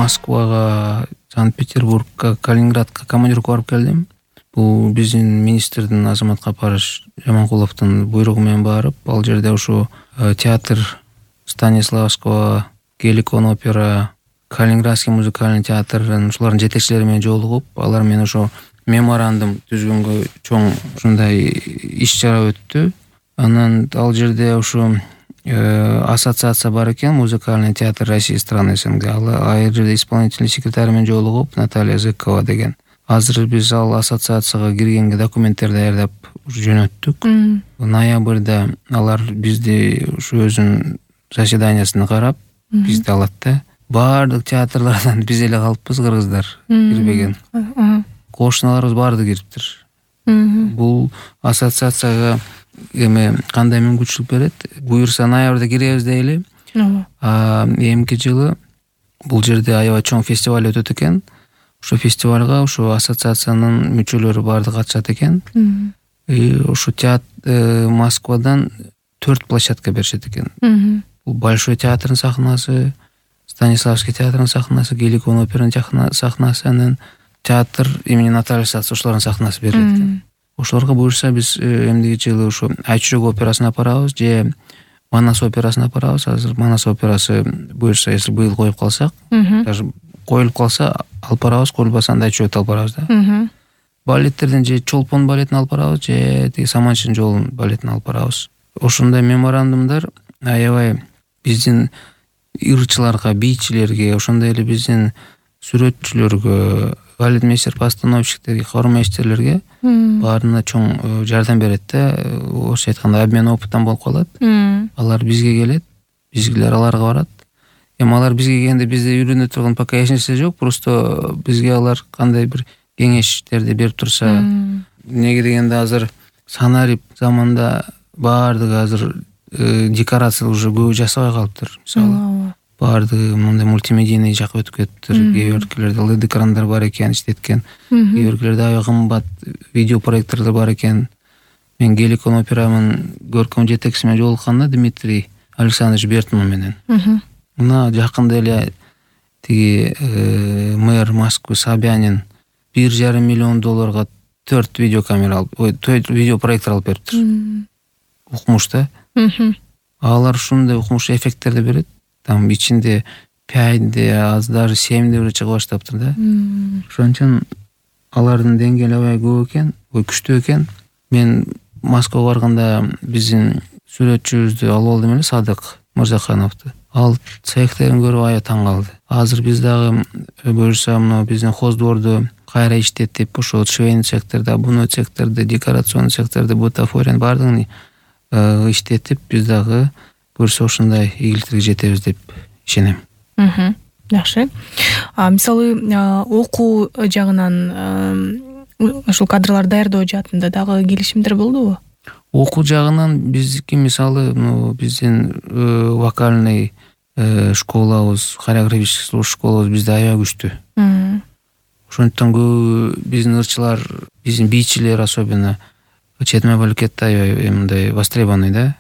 Москвага, Санкт-Петербургка, Калининградка командировка барып келдим. Бул биздин министрдин Азамат Капарыч Жаманкуловдун буйругу менен барып, ал жерде ушу театр Станиславского, Геликон опера, Калининградский музыкальный театрдын ушулардын жетекчилери менен жолугуп, алар менен ошо меморандум түзгөнгө чоң ушундай иш-чара өттү. Анан ал жерде ушу ассоциация бар экен, музыкальный театр России страны СНГ. Ал жерде исполнительный секретарь менен жолугуп, Наталья Зыкова деген. Азыр биз ал ассоциацияга киргенге документтерди даярдап жөнөттүк. Ноябрда алар бизди ушу өзүнүн заседаниясына карап, бизди алат да. Баардык театрлардан биз эле калыппыз, кыргыздар кирбеген. Кошуналарыбыз баардыгы кириптир. Бул ассоциацияга кандай мүмкүнчүлүк берет? Буюрса ноябрда киребиз дейли. Эмки жылы бул жерде аябай чоң фестиваль өтөт экен. Ошо фестивалга ошо ассоциациянын мүчөлөрү баардыгы катышат экен. Ошо Москвадан 4 площадка беришет экен. Бул Большой театрдын сахнасы, Станиславский театрдын сахнасы, Геликон операнын сахнасы, анан театр имени Натальи Сац ошолордун сахнасы берилет экен. Ошолорго буюрса биз эмдиги жылы ошо Айчүрөк операсына апарабыз же Манас операсына апарабыз. Азыр Манас операсы буюрса, если быйыл коюп калсак, даже коюлуп калса алып барабыз, коюлбаса анда Айчүрөктү алып барабыз да. Балеттерден же Чолпон балетин алып барабыз, же тиги Саманчынын жолун балетин алып барабыз. Ошондой меморандумдар аябай биздин ырчыларга, бийчилерге, ошондой эле биздин сүрөтчүлөргө, балетмейстер-постановщиктерге, хормейстерлерге баарына чоң жардам берет да. Орусча айтканда обмен опытан болуп калат. Алар бизге келет, бизгилер аларга барат. Алар бизге келгенде бизде үйрөнө турган пока эч нерсе жок, просто бизге алар кандай бир кеңештерди берип турса, неге дегенде азыр Санарип заманда баардыгы азыр декорация уже көбү жасабай калыптыр. Мисалы баардыгы мындай мультимедийный жакка өтүп кетиптир. Кээ бир өлкөлөрдө LED экрандар бар экен, иштеткен. Кээ бир өлкөлөрдө аябай кымбат видео проекторлор бар экен. Мен Геликон операнын көркөм жетекчиси менен жолукканда Дмитрий Александрович Бертман менен. Мына жакында эле тиги мэр Москвы Собянин $1,5 миллион 4 видеокамера алып, 4 видеопроектор алып бериптир. Укмуш да. Алар ушундай укмуш эффекттерди берет. Там ичинде 5D, аз даже 7D бир чыга баштаптыр да. Ошон алардын деңгээли аябай көп экен, күчтүү экен. Мен Москвага барганда биздин сүрөтчүбүздү алып алдым эле, Садык Мырзахановду. Ал цехтерин көрүп аябай таң калды. Азыр биз дагы буюрса мына биздин хоздворду кайра иштетип, ошо швейный цехтерди, обувной цехтерди, декорационный цехтерди, бутафорияны баардыгын иштетип, биз дагы буюрса ушундай ийгиликтерге жетебиз деп ишенем. Жакшы. Мисалы, окуу жагынан ушул кадрларды даярдоо жаатында дагы келишимдер болдубу? Окуу жагынан биздики мисалы биздин вокальный школабыз, хореографический школабыз бизде аябай күчтүү. Ошондуктан көбү биздин ырчылар, биздин бийчилер особенно чет мамлекетте аябай мындай востребованный да.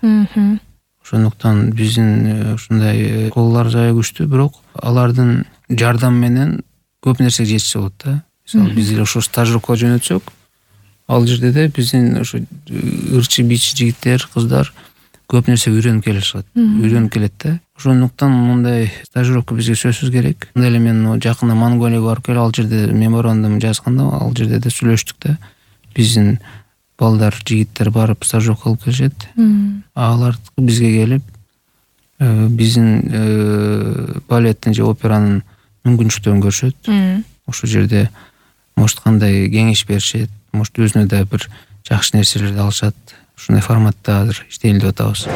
Ошондуктан биздин ушундай школалар аябай күчтүү, бирок алардын жардам менен көп нерсеге жетишсе болот да. Мисалы биз эле ошо стажировкага жөнөтсөк, ал жерде де биздин ошо ырчы бийчи жигиттер, кыздар көп нерсе үйрөнүп келет да. Ошондуктан мындай стажировка бизге сөзсүз керек. Мындай эле мен жакында Монголияга барып келип, ал жерде меморандум жазганда, ал жерде да сүйлөштүк да. Биздин балдар, жигиттер барып стажировка кылып келишет. Алар бизге келип, биздин балеттин же операнын мүмкүнчүлүктөрүн көрүшөт. Ошол жерде может кандай кеңеш беришет, может өзүнө да бир жакшы нерселерди алышат. Ушундай форматта азыр иштейли деп атабыз.